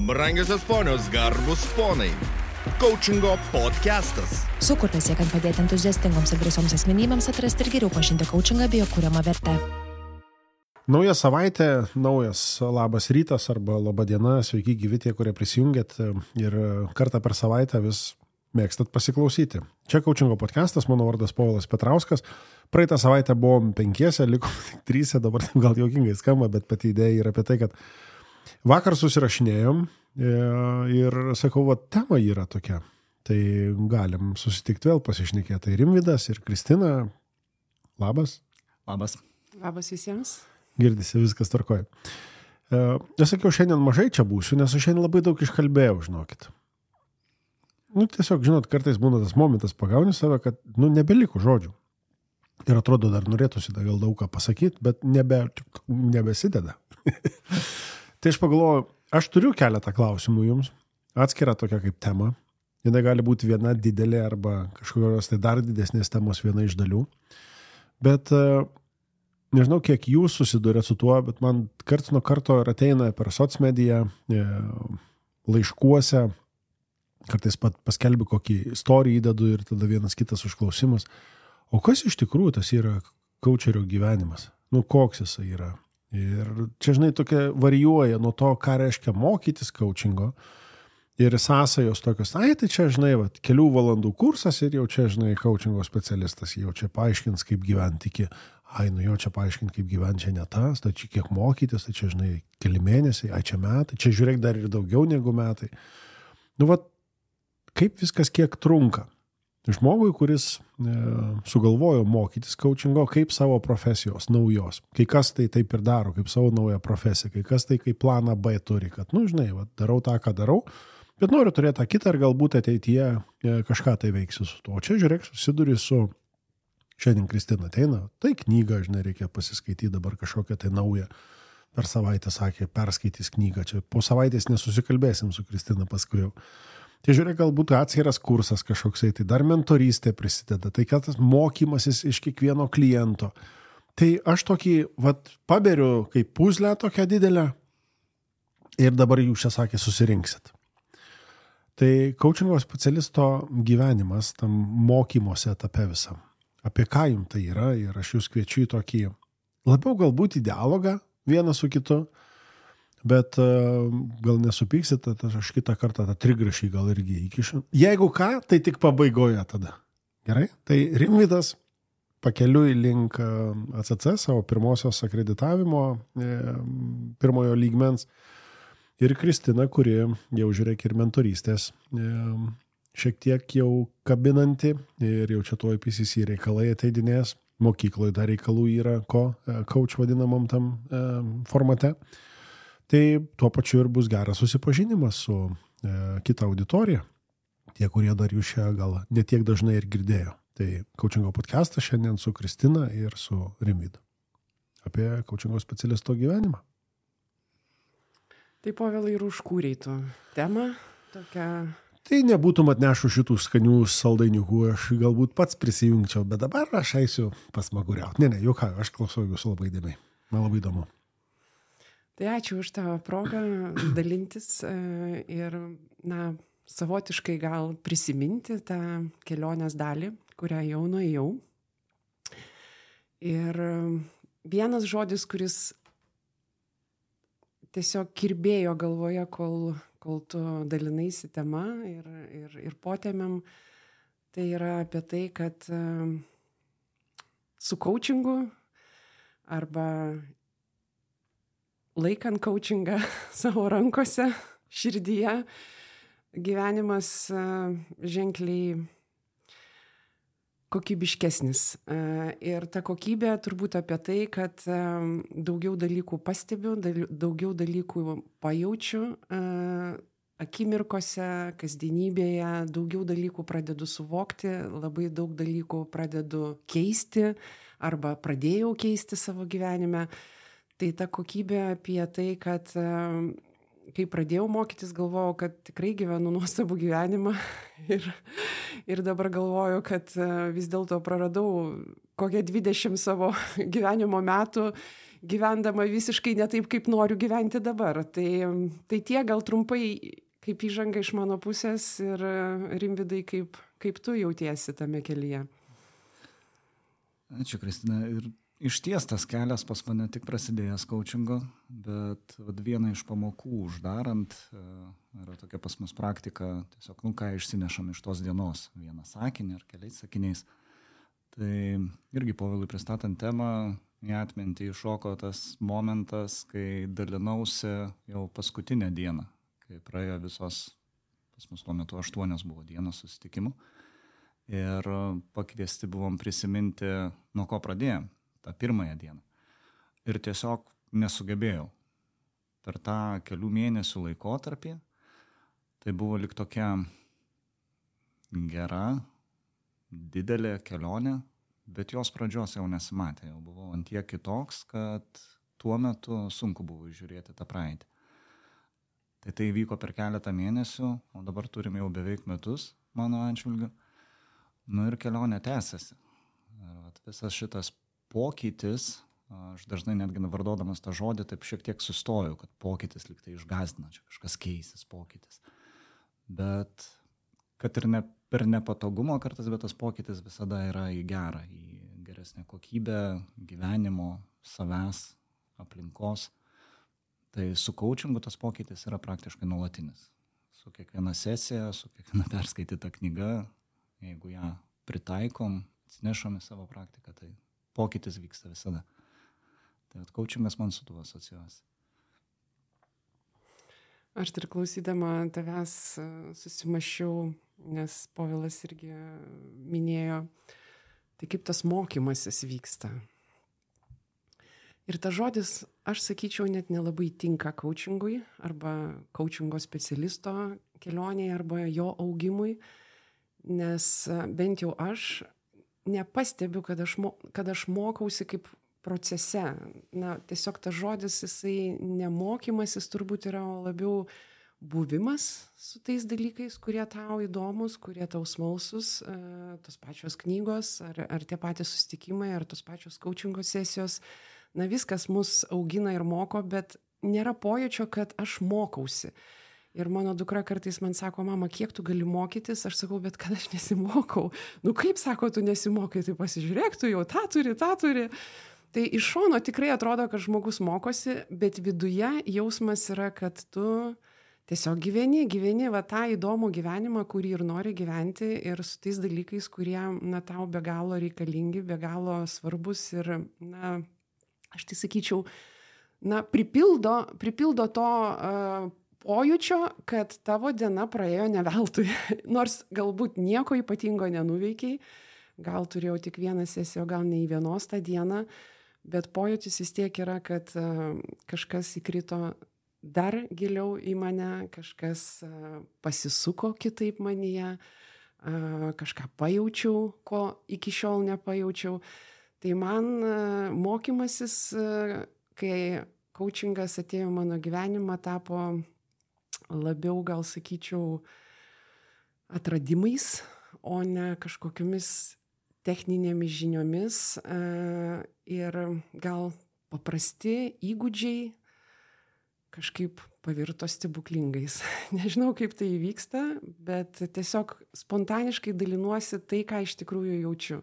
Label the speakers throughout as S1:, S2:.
S1: Brangiosios ponios, garbus ponai. Coachingo podcastas.
S2: Sukurtas siekiant padėti entuziastingoms ir drąsioms asmenybėms atrasti ir geriau pažinti coachingą bei jo kuriamą vertę.
S3: Nauja savaitė, naujas labas rytas arba laba diena, sveiki gyvi tie, kurie prisijungėt ir kartą per savaitę vis mėgstat pasiklausyti. Čia Coachingo podcastas, mano vardas Povilas Petrauskas. Praeitą savaitę buvom 5, liko tik 3, dabar gal juokingai skamba, bet pati idėja yra apie tai, kad vakar susirašinėjom ir sakau, va, tema yra tokia. Tai galim susitikti vėl pasišnekėti. Tai Rimvydas ir Kristina. Labas.
S4: Labas.
S5: Labas visiems.
S3: Girdisi, viskas tvarkoja. Aš sakiau, šiandien mažai čia būsiu, nes aš šiandien labai daug iškalbėjau, žinokit. Tiesiog, žinot, kartais būna tas momentas, pagauni save, kad, nebeliko žodžių. Ir atrodo, dar norėtųsi gal daug ką pasakyti, bet nebesideda. Tai aš pagalvoju, aš turiu keletą klausimų jums, atskira tokia kaip tema. Jis gali būti viena didelė arba kažkokios tai dar didesnės temos viena iš dalių. Bet nežinau, kiek jūs susidurėt su tuo, bet man karts nuo karto ir ateina per socmediją, laiškuose, kartais paskelbiu kokį istoriją įdedu ir tada vienas kitas užklausimas. O kas iš tikrųjų tas yra coacherio gyvenimas? Koks jisai yra? Ir čia, žinai, tokia varijuoja nuo to, ką reiškia mokytis coachingo ir sąsajos tokios, tai čia, žinai, kelių valandų kursas ir jau čia, žinai, coachingo specialistas, jau čia paaiškins, kaip gyventi iki, jo čia paaiškint, kaip gyventi, čia ne tas, tai čia kiek mokytis, tai čia, žinai, keli mėnesiai, čia metai, čia žiūrėk dar ir daugiau negu metai. Kaip viskas kiek trunka? Žmogui, kuris sugalvojo mokytis coachingo kaip savo profesijos, naujos. Kai kas tai taip ir daro, kaip savo naują profesiją, kai kas tai kaip planą B turi, kad, žinai, darau tą, ką darau, bet noriu turėti tą kitą ir galbūt ateityje kažką tai veiksiu su tuo. O čia, žiūrėk, susiduri su, šiandien Kristina ateina, tai knygą, žinai, reikia pasiskaityti dabar kažkokią tai naują. Per savaitę sakė, perskaitys knygą, čia po savaitės nesusikalbėsim su Kristina paskui jau. Tai žiūrėk, galbūt atskiras kursas kažkoksai, tai dar mentorystė prisideda, tai kad tas mokymasis iš kiekvieno kliento. Tai aš tokį, paberiu kaip puzlę tokią didelę ir dabar jūs čia sakė, susirinksit. Tai coachingo specialisto gyvenimas tam mokymosi etape visam. Apie ką jums tai yra ir aš jūs kviečiu į tokį labiau galbūt į dialogą vieną su kitu, bet gal nesupyksit, aš kitą kartą tą trigrašį gal irgi įkišiu. Jeigu ką, tai tik pabaigoje tada. Gerai? Tai Rimvydas pakeliui link ACC, savo pirmosios akreditavimo, pirmojo lygmens. Ir Kristina, kuri jau žiūrėk ir mentorystės, šiek tiek jau kabinanti ir jau čia tuoj PCC reikalai ateidinės. Mokykloje dar reikalų yra coach vadinamam tam formate. Tai tuo pačiu ir bus geras susipažinimas su kita auditorija. Tie, kurie dar jūs čia gal netiek dažnai ir girdėjo. Tai Coachingo podcastas šiandien su Kristina ir su Rimvydu. Apie coachingo specialisto gyvenimą.
S5: Tai Povilai ir užkūrei tu temą tokią.
S3: Tai nebūtum atnešu šitų skanių saldainiukų, aš galbūt pats prisijungčiau, bet dabar aš eisiu pasmaguriauti. Ne, juk aš klausau jūsų labai įdėmiai. Man labai įdomu.
S5: Tai ačiū už tą progą dalintis ir, savotiškai gal prisiminti tą kelionės dalį, kurią jau nuėjau. Ir vienas žodis, kuris tiesiog kirbėjo galvoje, kol tu dalinaisi tema ir potemiam, tai yra apie tai, kad su coachingu arba laikant coachingą savo rankose, širdyje, gyvenimas ženkliai kokybiškesnis. Ir ta kokybė turbūt apie tai, kad daugiau dalykų pastebiu, daugiau dalykų pajaučiu akimirkose, kasdienybėje, daugiau dalykų pradedu suvokti, labai daug dalykų pradedu keisti arba pradėjau keisti savo gyvenime. Tai ta kokybė apie tai, kad kai pradėjau mokytis, galvojau, kad tikrai gyvenu nuostabų gyvenimą ir dabar galvoju, kad vis dėlto praradau kokią 20 savo gyvenimo metų gyvendama visiškai ne taip, kaip noriu gyventi dabar. Tai tie gal trumpai kaip įžanga iš mano pusės ir Rimvydai, kaip tu jautiesi tame kelyje.
S4: Ačiū, Kristina. Ir išties tas kelias pas mane tik prasidėjęs coachingo, bet vieną iš pamokų uždarant yra tokia pas mus praktika, tiesiog, ką išsinešam iš tos dienos, vieną sakinį ar keliais sakiniais. Tai irgi Povilui pristatant temą, į atmintį iššoko tas momentas, kai dalinausi jau paskutinę dieną, kai praėjo visos, pas mus tuo metu 8 buvo dienos susitikimų. Ir pakviesti buvom prisiminti, nuo ko pradėjom, tą pirmąją dieną. Ir tiesiog nesugebėjau. Per tą kelių mėnesių laikotarpį, tai buvo lyg tokia gera, didelė kelionė, bet jos pradžios jau nesimatė. Jau buvau ant tiek kitoks, kad tuo metu sunku buvo žiūrėti tą praeitį. Tai vyko per keletą mėnesių, o dabar turim jau beveik metus mano atžvilgiu. Ir kelionė tęsiasi. Visas šitas pokytis, aš dažnai netgi vardodamas tą žodį, taip šiek tiek sustoju, kad pokytis lyg tai išgąsdina, čia kažkas keisis pokytis. Bet kad ir ne per nepatogumą kartais, bet tas pokytis visada yra į gerą, į geresnę kokybę gyvenimo, savęs, aplinkos. Tai su coachingu tas pokytis yra praktiškai nuolatinis. Su kiekviena sesija, su kiekviena perskaityta knyga, jeigu ją pritaikom, atsinešom į savo praktiką, tai pokytis vyksta visada. Tai coachingas man su tuo asocijuosi.
S5: Aš ir klausydama tavęs susimaščiau, nes Povilas irgi minėjo, tai kaip tas mokymasis vyksta. Ir tas žodis, aš sakyčiau, net nelabai tinka coachingui arba coachingo specialisto kelionėje arba jo augimui, nes bent jau aš nepastebiu, kad aš mokausi kaip procese. Tiesiog tas žodis, jisai nemokymasis turbūt yra labiau buvimas su tais dalykais, kurie tau įdomus, kurie tau smalsus, tos pačios knygos, ar tie patys susitikimai, ar tos pačios coachingo sesijos. Viskas mus augina ir moko, bet nėra pojūčio, kad aš mokausi. Ir mano dukra kartais man sako, mama, kiek tu gali mokytis? Aš sakau, bet kad aš nesimokau. Kaip sako, tu nesimokai, tai pasižiūrėk, tu jau tą turi. Tai iš šono tikrai atrodo, kad žmogus mokosi, bet viduje jausmas yra, kad tu tiesiog gyveni tą įdomų gyvenimą, kurį ir nori gyventi, ir su tais dalykais, kurie tau be galo reikalingi, be galo svarbus ir, aš tai sakyčiau, pripildo to pojūčio, kad tavo diena praėjo ne veltui. Nors galbūt nieko ypatingo nenuveikiai, gal turėjau tik vieną sesiją, gal ne į vienos tą dieną, bet pojūtis vis tiek yra, kad kažkas įkrito dar giliau į mane, kažkas pasisuko kitaip manyje, kažką pajaučiau, ko iki šiol nepajaučiau. Tai man mokymasis, kai coachingas atėjo mano gyvenimą, tapo labiau, gal sakyčiau, atradimais, o ne kažkokiamis techninėmis žiniomis ir gal paprasti įgūdžiai kažkaip pavirto stebuklingais. Nežinau, kaip tai įvyksta, bet tiesiog spontaniškai dalinuosi tai, ką iš tikrųjų jaučiu.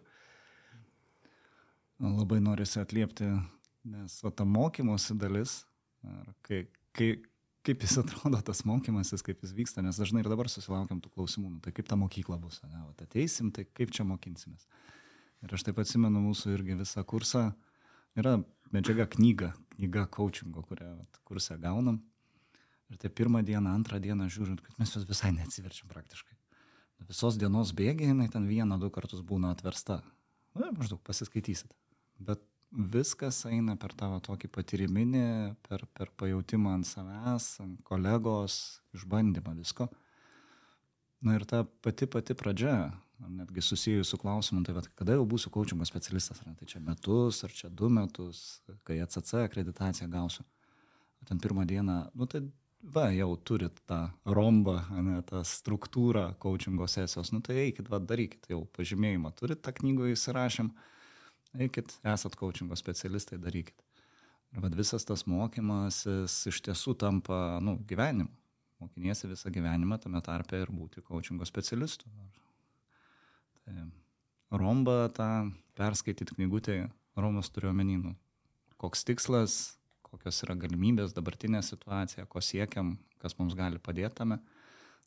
S4: Labai norisi atliepti, nes ta mokymosi dalis, kaip jis atrodo tas mokymasis, kaip jis vyksta, nes dažnai ir dabar susilaukiam tų klausimų, tai kaip ta mokykla bus, ateisim, tai kaip čia mokinsimės. Ir aš taip atsimenu mūsų irgi visą kursą, yra medžiaga knyga coachingo, kurią kursą gaunam. Ir tai pirmą dieną, antrą dieną žiūrint, kad mes jos visai neatsiverčiam praktiškai. Visos dienos bėgiai, jinai ten 1-2 kartus būna atversta. Maždaug pasiskaitysit. Bet viskas eina per tavo tokį patyriminį, per pajautimą ant savęs, ant kolegos, išbandymą visko. Ir ta pati pradžia, netgi susijus su klausimu, tai kada jau būsiu coachingo specialistas, tai čia metus, ar čia 2 metus, kai ACC akreditaciją gausiu. Ten pirmą dieną, tai jau turit tą rombą, tą struktūrą coachingo sesijos, tai eikit, darykit, jau pažymėjimą turit, tą knygą įsirašėm, eikit, esat coachingo specialistai, darykit. Ir vad visas tas mokymasis iš tiesų tampa, gyvenimu. Mokiniesi visą gyvenimą, tame tarpe ir būti coachingo specialistu. Tai Romba tą perskaityti knygutę, Romas turiu omeny, koks tikslas, kokios yra galimybės, dabartinė situacija, ko siekiam, kas mums gali padėti tame.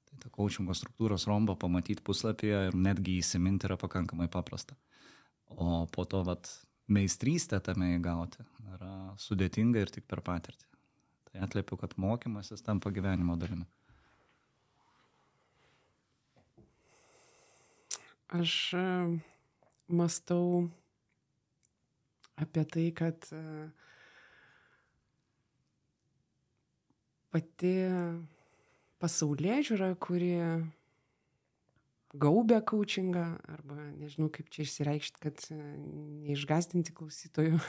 S4: Tai ta coachingo struktūros Romba pamatyti puslapyje ir netgi įsiminti yra pakankamai paprasta. O po to meistrystę tame įgauti yra sudėtinga ir tik per patirtį. Tai atliepiu, kad mokymasis tampa gyvenimo dalimi.
S5: Aš mąstau apie tai, kad pati pasaulėžiūra, kuri gaubia coachingą, arba nežinau, kaip čia išsireikšti, kad neišgąsdinti klausytojų,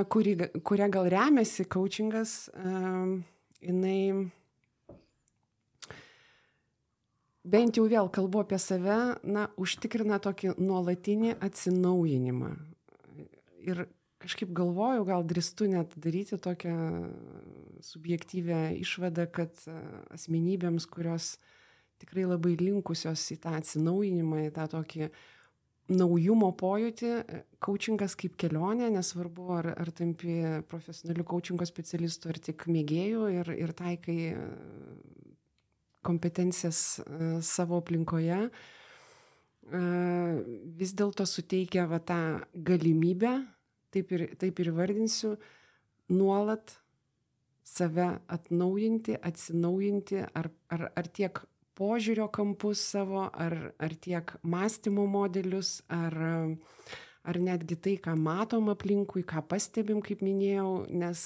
S5: kuria gal remiasi coachingas, jinai, bent jau vėl kalbu apie save, užtikrina tokį nuolatinį atsinaujinimą. Ir kažkaip galvoju, gal drįstu net daryti tokią subjektyvę išvadą, kad asmenybėms, kurios tikrai labai linkusios į tą atsinaujinimą, į tą tokį naujumo pojūtį, coachingas kaip kelionė, nesvarbu, ar tampi profesionaliu coachingo specialistu, ar tik mėgėjų ir taikai kompetencijas savo aplinkoje, vis dėlto suteikia tą galimybę, taip ir vardinsiu, nuolat save atnaujinti, atsinaujinti, ar tiek požiūrio kampus savo, ar tiek mąstymo modelius, ar netgi tai, ką matom aplinkui, ką pastebim, kaip minėjau, nes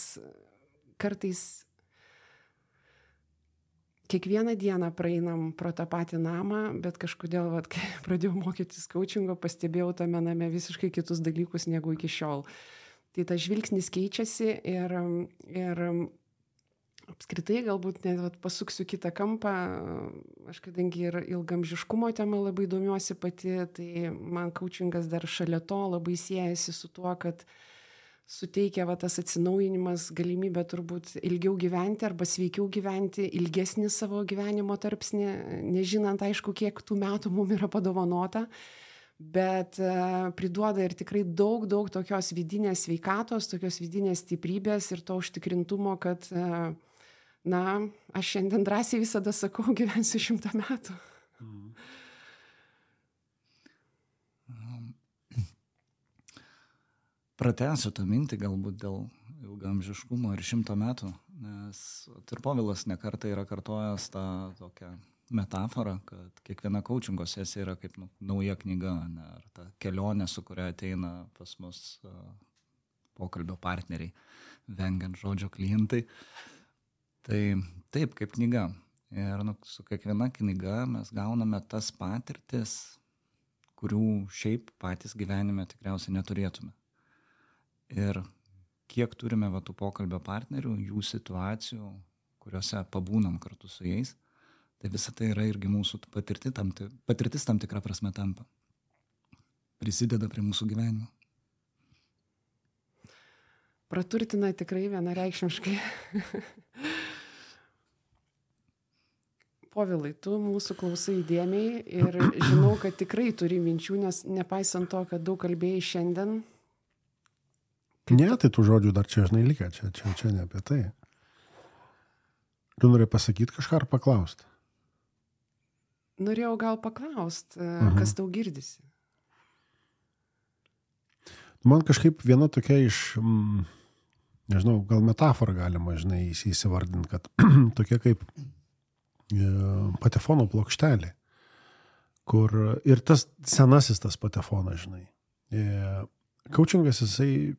S5: kartais kiekvieną dieną praeinam pro tą patį namą, bet kažkodėl, kai pradėjau mokytis coachingo, pastebėjau tame name visiškai kitus dalykus negu iki šiol. Tai tas žvilgsnis keičiasi ir apskritai galbūt net pasuksiu kitą kampą. Aš kadangi ir ilgamžiškumo tema labai domiuosi pati, tai man coachingas dar šalia to labai siejasi su tuo, kad suteikia tas atsinaujinimas galimybę turbūt ilgiau gyventi arba sveikiau gyventi, ilgesnį savo gyvenimo tarpsnį, nežinant aišku, kiek tų metų mums yra padovanota, bet priduoda ir tikrai daug tokios vidinės sveikatos, tokios vidinės stiprybės ir to užtikrintumo, kad aš šiandien drąsiai visada sakau, gyvensiu 100 metų.
S4: Pratęsiu tą mintį galbūt dėl ilgamžiškumo ir 100 metų, nes ir Povilas nekartą yra kartojęs tą tokią metaforą, kad kiekviena coachingo sesija yra kaip nauja knyga, ar ta kelionė, su kuria ateina pas mus pokalbio partneriai, vengiant žodžio klientai. Tai taip, kaip knyga. Ir su kiekviena knyga mes gauname tas patirtis, kurių šiaip patys gyvenime tikriausiai neturėtume. Ir kiek turime tų pokalbio partnerių, jų situacijų, kuriuose pabūnam kartu su jais, tai visa tai yra irgi mūsų patirtis tam tikrą prasme tampa. Prisideda prie mūsų gyvenimo.
S5: Praturtina tikrai vienareikšmiškai. Povilai, tu mūsų klausai įdėmiai ir žinau, kad tikrai turi minčių, nes nepaisant to, kad daug kalbėjai šiandien.
S3: Ne, tai tų žodžių dar čia žinai likę, čia ne apie tai. Tu norėjai pasakyti kažką ar paklausti?
S5: Norėjau gal paklausti, kas tau girdisi.
S3: Man kažkaip viena tokia iš, nežinau, gal metaforą galima, įsivardinti, kad tokia kaip patefono plokštelė, kur ir tas senasis tas patefonas, Coachingas, jisai,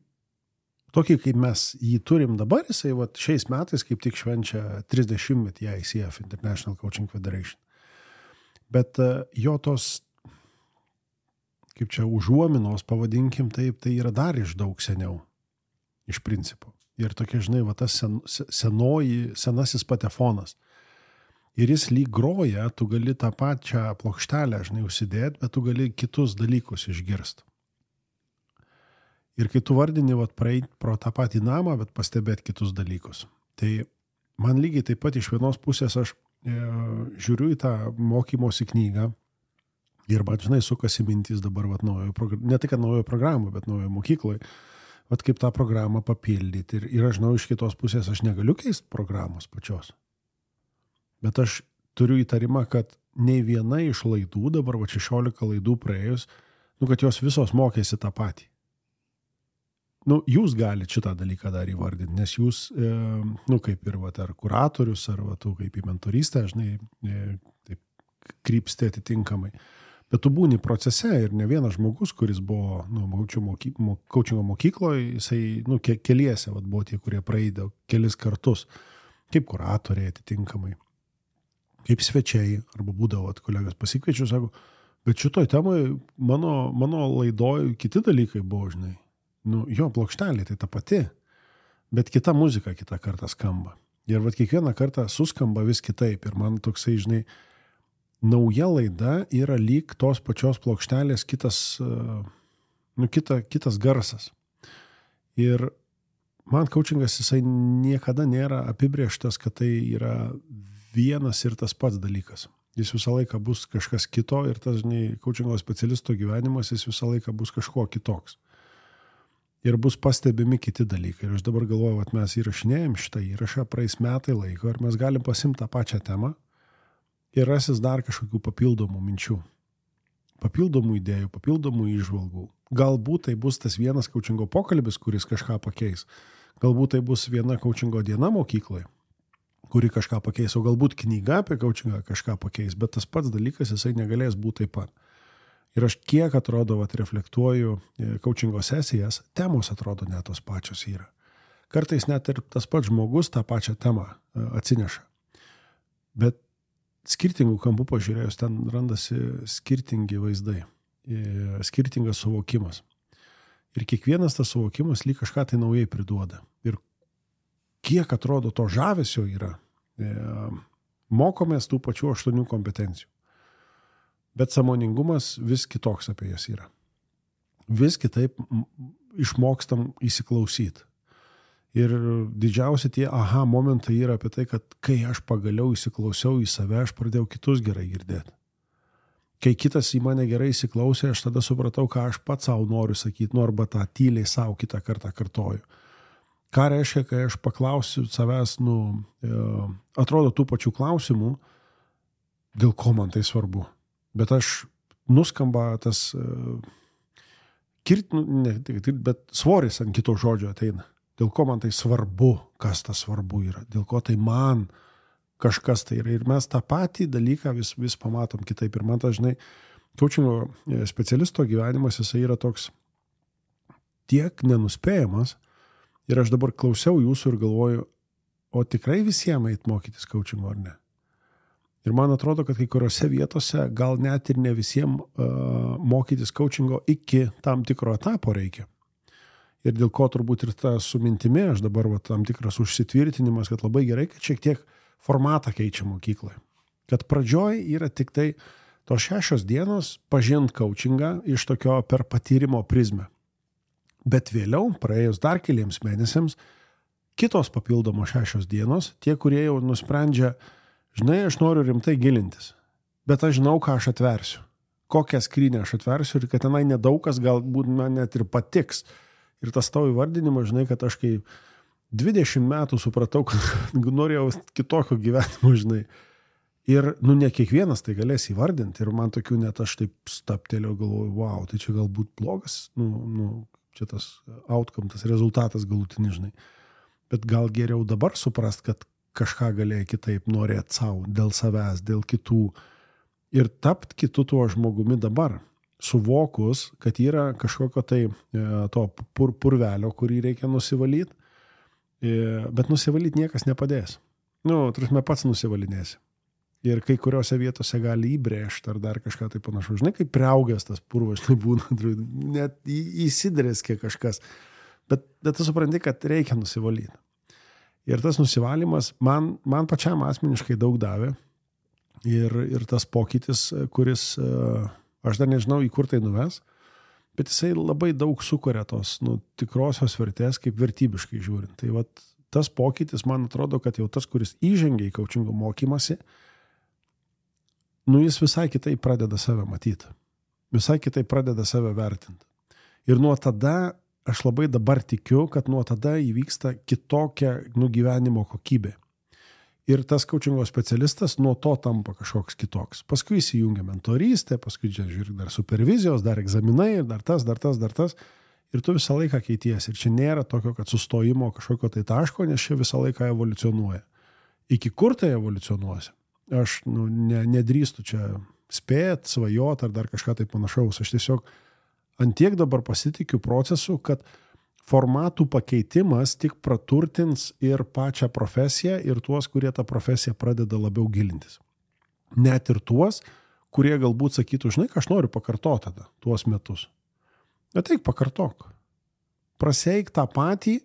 S3: tokį kaip mes jį turim dabar, jisai šiais metais kaip tik švenčia 30-metį ICF, International Coaching Federation. Bet jo tos, kaip čia užuominos pavadinkim taip, tai yra dar iš daug seniau, iš principo. Ir tokia, tas senasis patefonas. Ir jis lyg groja, tu gali tą pačią plokštelę, užsidėti, bet tu gali kitus dalykus išgirsti. Ir kai tu vardini, praeit pro tą patį namą, bet pastebėt kitus dalykus. Tai man lygiai taip pat iš vienos pusės aš žiūriu į tą mokymosi knygą ir man, žinai, sukasi mintys dabar, ne tik naujojo programų, bet naujojo mokykloje, kaip tą programą papildyti. Ir aš žinau, iš kitos pusės aš negaliu keisti programos pačios. Bet aš turiu įtarimą, kad nei viena iš laidų, dabar 16 laidų praėjus, kad jos visos mokėsi tą patį. Jūs galite šitą dalyką dar įvardinti, nes jūs, kaip ir ar kuratorius, ar tu kaip į mentorystę, žinai, taip krypsti atitinkamai. Bet tu būni procese ir ne vienas žmogus, kuris buvo kaučingo mokykloje, jisai, keliese buvo tie, kurie praeidavo kelis kartus, kaip kuratoriai atitinkamai. Kaip svečiai, arba būdavo, kolegas pasikviečiu, sako, bet šitoj temoje mano laidoj kiti dalykai buvo, žinai. Jo, plokštelė tai ta pati, bet kita muzika kitą kartą skamba. Ir kiekvieną kartą suskamba vis kitaip. Ir man toksai, žinai, nauja laida yra lyg tos pačios plokštelės kitas garsas. Ir man kaučingas jisai niekada nėra apibrėžtas, kad tai yra vienas ir tas pats dalykas. Jis visą laiką bus kažkas kito ir tas, žinai, kaučingo specialisto gyvenimas, jis visą laiką bus kažko kitoks. Ir bus pastebimi kiti dalykai. Ir aš dabar galvoju, kad mes įrašinėjom šitą įrašą, praeis metai laiko ir mes galim pasimti tą pačią temą ir rasis dar kažkokių papildomų minčių, papildomų idėjų, papildomų įžvalgų. Galbūt tai bus tas vienas kaučingo pokalbis, kuris kažką pakeis. Galbūt tai bus viena kaučingo diena mokykloje, kuri kažką pakeis, o galbūt knyga apie kaučingą kažką pakeis, bet tas pats dalykas jisai negalės būti taip pat. Ir aš kiek atrodo, reflektuoju kaučingo sesijas, temos atrodo net tos pačios yra. Kartais net ir tas pats žmogus tą pačią temą atsineša. Bet skirtingų kampų pažiūrėjus, ten randasi skirtingi vaizdai, skirtingas suvokimas. Ir kiekvienas tas suvokimas lyg kažką tai naujai priduoda. Ir kiek atrodo to žavesio yra, mokomės tų pačių 8 kompetencijų. Bet sąmoningumas vis kitoks apie jas yra. Vis kitaip išmokstam įsiklausyti. Ir didžiausi tie momentai yra apie tai, kad kai aš pagaliau įsiklausiau į save, aš pradėjau kitus gerai girdėti. Kai kitas į mane gerai įsiklausė, aš tada supratau, ką aš pats savo noriu sakyti, arba tą tyliai savo kitą kartą kartoju. Ką reiškia, kai aš paklausiu savęs, atrodo tų pačių klausimų, dėl ko man tai svarbu. Bet aš nuskamba tas bet svoris ant kito žodžio ateina. Dėl ko man tai svarbu, kas tas svarbu yra, dėl ko tai man kažkas tai yra. Ir mes tą patį dalyką vis pamatom kitaip. Ir man dažnai kaučingo specialisto gyvenimas jisai yra toks tiek nenuspėjamas. Ir aš dabar klausiau jūsų ir galvoju, o tikrai visiems eit mokytis kaučingo ar ne? Ir man atrodo, kad kai kuriuose vietose gal net ir ne visiems mokytis kaučingo iki tam tikro etapo reikia. Ir dėl ko turbūt ir ta su mintimi, aš dabar tam tikras užsitvirtinimas, kad labai gerai, kad šiek tiek formatą keičia mokykloje. Kad pradžioj yra tik tai tos 6 dienos pažint kaučingą iš tokio per patyrimo prizmę. Bet vėliau, praėjus dar keliems mėnesiams, kitos papildomos 6 dienos, tie, kurie jau nusprendžia, žinai, aš noriu rimtai gilintis, bet aš žinau, ką aš atversiu, kokią skrynę aš atversiu ir kad tenai nedaug kas galbūt man net ir patiks. Ir tas tavo įvardinimas, žinai, kad aš kai 20 metų supratau, kad norėjau kitokio gyvenimo, žinai. Ir, ne kiekvienas tai galės įvardinti. Ir man tokių net aš taip staptelėjau, galvoju, wow, tai čia galbūt blogas, čia tas outcome, tas rezultatas galutinis, žinai. Bet gal geriau dabar suprast, kad kažką galėjai kitaip norėti savo, dėl savęs, dėl kitų. Ir tapt kitu tuo žmogumi dabar. Suvokus, kad yra kažkokio tai to purvelio, kurį reikia nusivalyti, bet nusivalyti niekas nepadės. Tarsi pats nusivalinėsi. Ir kai kuriuose vietose gali įbrėžti ar dar kažką tai panašu. Žinai, kaip priaugęs tas purvas, žinai, būna, net įsidrėskė kažkas. Bet tu supranti, kad reikia nusivalyti. Ir tas nusivalymas man pačiam asmeniškai daug davė. Ir tas pokytis, kuris... Aš dar nežinau, į kur tai nuves, bet jisai labai daug sukuria tos tikrosios vertės, kaip vertybiškai žiūrint. Tai vat, tas pokytis, man atrodo, kad jau tas, kuris įžengia į coachingo mokymasi, jis visai kitai pradeda save matyti. Visai kitai pradeda save vertinti. Ir nuo tada, aš labai dabar tikiu, kad nuo tada įvyksta kitokia gyvenimo kokybė. Ir tas coachingo specialistas nuo to tampa kažkoks kitoks. Paskui įsijungia mentorystė, paskui žiūrėk dar supervizijos, dar egzaminai, dar tas. Ir tu visą laiką keities. Ir čia nėra tokio, kad sustojimo kažkokio tai taško, nes čia visą laiką evoliucionuoja. Iki kur tai evoliucionuosi? Aš nedrįstu čia spėt, svajot ar dar kažką tai panašaus. Aš tiesiog antiek dabar pasitikiu procesu, kad formatų pakeitimas tik praturtins ir pačią profesiją ir tuos, kurie tą profesiją pradeda labiau gilintis. Net ir tuos, kurie galbūt sakytų, žinai, ką aš noriu pakartoti tada, tuos metus. Ateik pakartok. Praseik tą patį.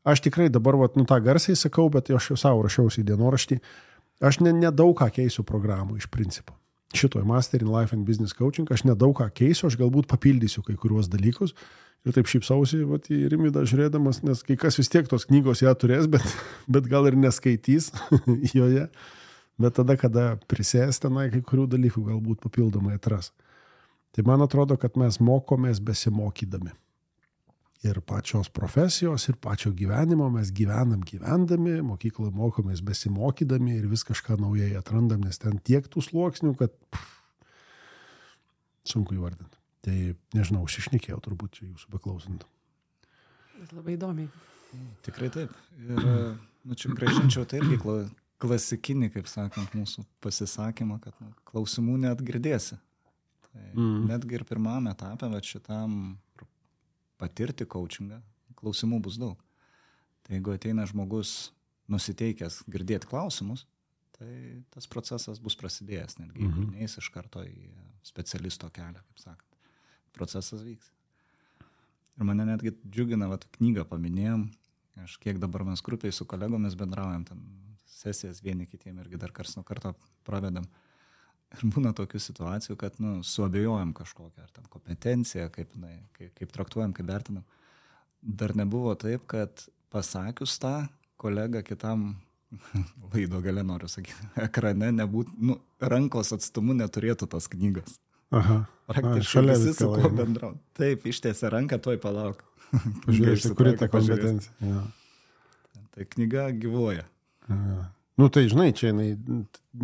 S3: Aš tikrai dabar tą garsiai sakau, bet aš jau savo rašiausi į dienoraštį. Aš nedaug ką keisiu programų iš principo. Šitoj Master in Life and Business Coaching aš nedaug ką keisiu, aš galbūt papildysiu kai kuriuos dalykus. Ir taip šypsausi į Rimvydą žiūrėdamas, nes kai kas vis tiek tos knygos ją turės, bet gal ir neskaitys joje. Bet tada, kada prisės tenai, kai kurių dalykų galbūt papildomai atras. Tai man atrodo, kad mes mokomės besimokydami. Ir pačios profesijos, ir pačio gyvenimo mes gyvendami, mokykloje mokomės besimokydami ir vis kažką naujai atrandam, nes ten tiek tų sluoksnių, kad sunku įvardinti. Tai nežinau, užsišnekėjau turbūt čia jūsų beklausant.
S5: Labai įdomiai.
S4: Tikrai taip. Ir čia grąžinčiau tai irgi klasikinį, kaip sakant, mūsų pasisakymą, kad klausimų net girdėsi. Tai netgi ir pirmame etape, bet šitam patirti coachingą, klausimų bus daug. Tai jeigu ateina žmogus nusiteikęs girdėti klausimus, tai tas procesas bus prasidėjęs, netgi jeigu neis iš karto į specialisto kelią, kaip sakant. Procesas vyks. Ir mane netgi džiugina, knygą paminėjom, aš kiek dabar mes grupiai su kolegomis bendraujam, ten sesijas vieni kitiem irgi dar karts nuo karto pravedam. Ir būna tokių situacijų, kad suabejojam kažkokią, ar ten kompetenciją, kaip traktuojam, kaip vertinam. Dar nebuvo taip, kad pasakius tą, kolega kitam laido gale, noriu sakyti, ekrane rankos atstumu neturėtų tas knygas.
S3: Aha.
S4: Praktiškai visi su kuo bendrauja. Taip, ištiesė ranką, tuoj palauk.
S3: Pažiūrėsi, kuri ta kompetencija. Ja.
S4: Tai knyga gyvuoja.
S3: Ja. Tai žinai, čia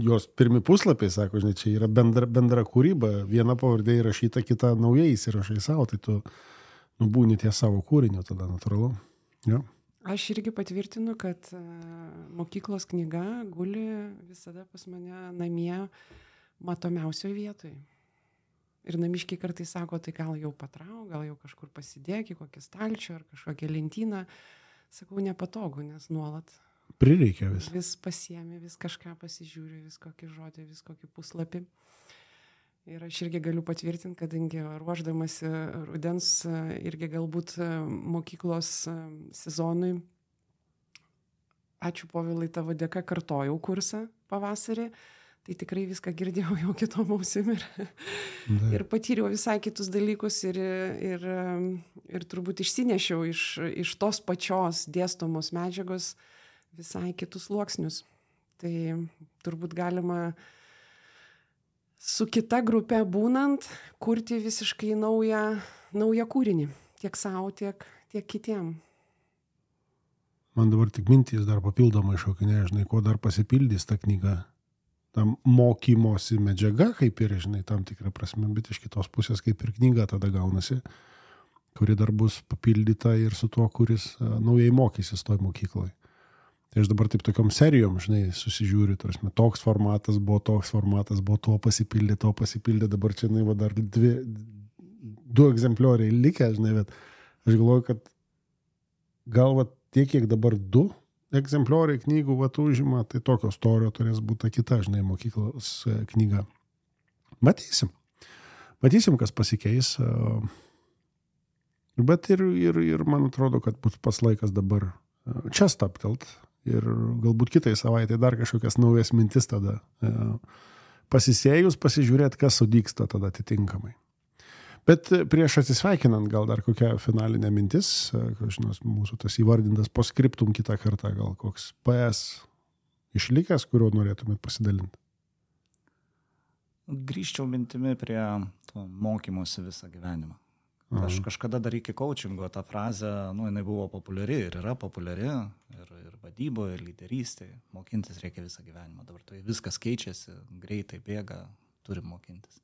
S3: jos pirmi puslapiai, sako, žinai, čia yra bendra kūryba. Viena pavardė įrašyta, kita naujai įsirašai savo, tai tu būni ties savo kūrinio tada, natūralu. Ja.
S5: Aš irgi patvirtinu, kad mokyklos knyga guli visada pas mane namie matomiausioje vietoje. Ir namiškiai kartais sako, tai gal jau patrauk, gal jau kažkur pasidėk į kokį stalčių ar kažkokią lentyną. Sakau, nepatogu, nes nuolat
S3: prireikia vis.
S5: Vis pasiemi, vis kažką pasižiūri, vis kokį žodį, vis kokį puslapį. Ir aš irgi galiu patvirtinti, kadangi ruošdamasi rudens irgi galbūt mokyklos sezonui, ačiū Povilai, tavo dėka kartojau kursą pavasarį. Tai tikrai viską girdėjau jau kitom ausim ir patyriau visai kitus dalykus ir turbūt išsinešiau iš tos pačios dėstomos medžiagos visai kitus sluoksnius. Tai turbūt galima su kita grupe būnant kurti visiškai naują kūrinį. Tiek savo, tiek kitiem.
S3: Man dabar tik mintys dar papildomai šokinėja, žinai, ko dar pasipildys ta knyga. Tam mokymosi medžiaga, kaip ir, žinai, tam tikrą prasme, bet iš kitos pusės kaip ir knyga tada gaunasi, kuri dar bus papildyta ir su tuo, kuris naujai mokysis toj mokykloj. Tai aš dabar taip tokiom serijom, žinai, susižiūriu, tarsi, toks formatas buvo, to pasipildė, dabar čia, žinai, dar 2 egzemplioriai likę, žinai, bet aš galvoju, kad gal tiek, kiek dabar 2 egzemplioriai knygų užima, tai tokio storio turės būti kita, žinai, mokyklos knyga. Matysim, kas pasikeis. Bet ir man atrodo, kad bus pas laikas dabar čia staptelt ir galbūt kitai savaitai dar kažkokias naujas mintis tada pasisėjus, pasižiūrėti, kas sudygsta tada atitinkamai. Bet prieš atsisveikinant, gal dar kokia finalinė mintis, žinos, mūsų tas įvardintas postscriptum kitą kartą, gal koks PS išlikęs, kurio norėtumėt pasidalinti?
S4: Grįžčiau mintimi prie to mokymosi visą gyvenimą. Aš kažkada dar iki coachingo tą frazę, jinai buvo populiari ir yra populiari, ir vadyboje, ir lyderystėje. Mokintis reikia visą gyvenimą. Dabar tai viskas keičiasi, greitai bėga, turim mokintis.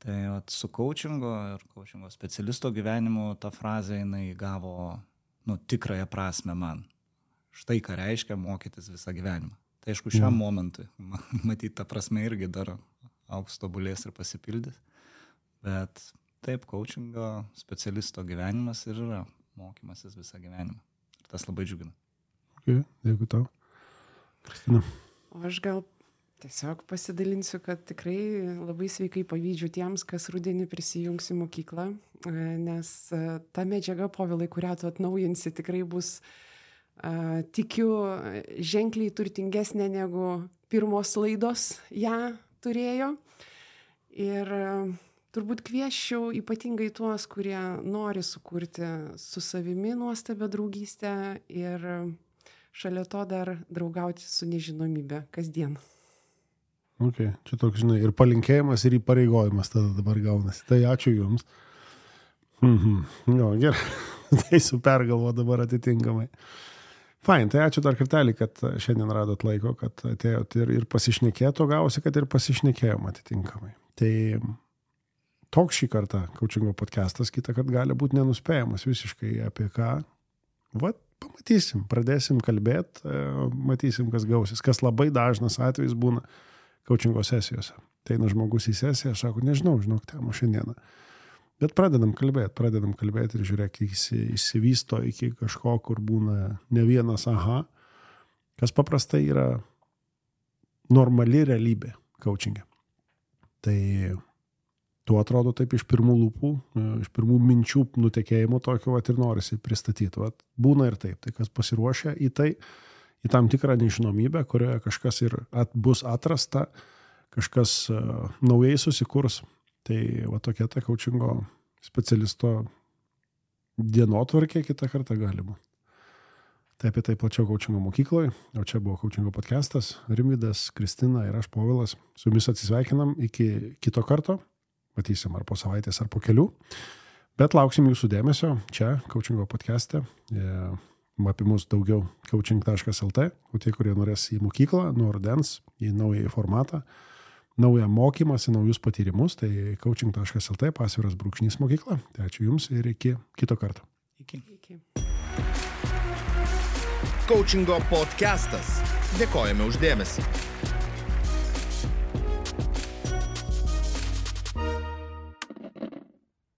S4: Tai su coachingo ir coachingo specialisto gyvenimu ta frazė jinai gavo tikrąją prasme man. Štai ką reiškia mokytis visą gyvenimą. Tai aišku, šiam momentui, matyti, ta prasme irgi dar augs, tobulės ir pasipildys. Bet taip, coachingo specialisto gyvenimas ir yra mokymasis visą gyvenimą. Ir tas labai džiugina.
S3: Okay, dėkui tau. Kristina.
S5: O aš gal tiesiog pasidalinsiu, kad tikrai labai sveikai pavydžiu tiems, kas rudenį prisijungs į mokyklą, nes ta medžiaga, Povilai, kurią tu atnaujinsi, tikrai bus, tikiu, ženkliai turtingesnė negu pirmos laidos ją turėjo. Ir turbūt kviesčiau ypatingai tuos, kurie nori sukurti su savimi nuostabią draugystę ir šalia to dar draugauti su nežinomybė kasdien.
S3: Okay. Čia toks, žinai, ir palinkėjimas, ir įpareigojimas tada dabar gaunasi. Tai ačiū Jums. Gerai. Tai su pergalvo dabar atitinkamai. Fain, tai ačiū dar kartelį, kad šiandien radot laiko, kad atėjot ir pasišnekėto, gausi, kad ir pasišnekėjom atitinkamai. Tai toks šį kartą coachingo podcastas, kitą kartą gali būti nenuspėjamas visiškai apie ką. Pamatysim, pradėsim kalbėti, matysim, kas gausis. Kas labai dažnas atvejis būna coachingo sesijose. Tai žmogus į sesiją, sako, nežinau, temo šiandieną. Bet pradedam kalbėti ir žiūrėk, įsivysto iki kažko, kur būna ne vienas aha, kas paprastai yra normali realybė coachinge. Tai tu atrodo taip iš pirmų lūpų, iš pirmų minčių nutekėjimo tokio ir norisi pristatyti. Būna ir taip. Tai kas pasiruošia į tai, į tam tikrą nežinomybę, kurioje kažkas ir bus atrasta, kažkas naujai susikurs. Tai tokia ta coachingo specialisto dienotvarkė kitą kartą gali būti. Tai apie tai plačiau coachingo mokykloje, o čia buvo coachingo podcastas, Rimvydas, Kristina ir aš, Povilas. Su jumis atsisveikinam iki kito karto, matysim ar po savaitės, ar po kelių, bet lauksim jūsų dėmesio čia coachingo podcaste. Apie mus daugiau coaching.lt, o tie, kurie norės į mokyklą, nuo rudens, į naują formatą, naują mokymąsi, naujus patyrimus, tai coaching.lt, _mokykla. Tai ačiū Jums ir iki kito karto.
S4: Iki.
S1: Coachingo podcastas. Dėkojame už dėmesį.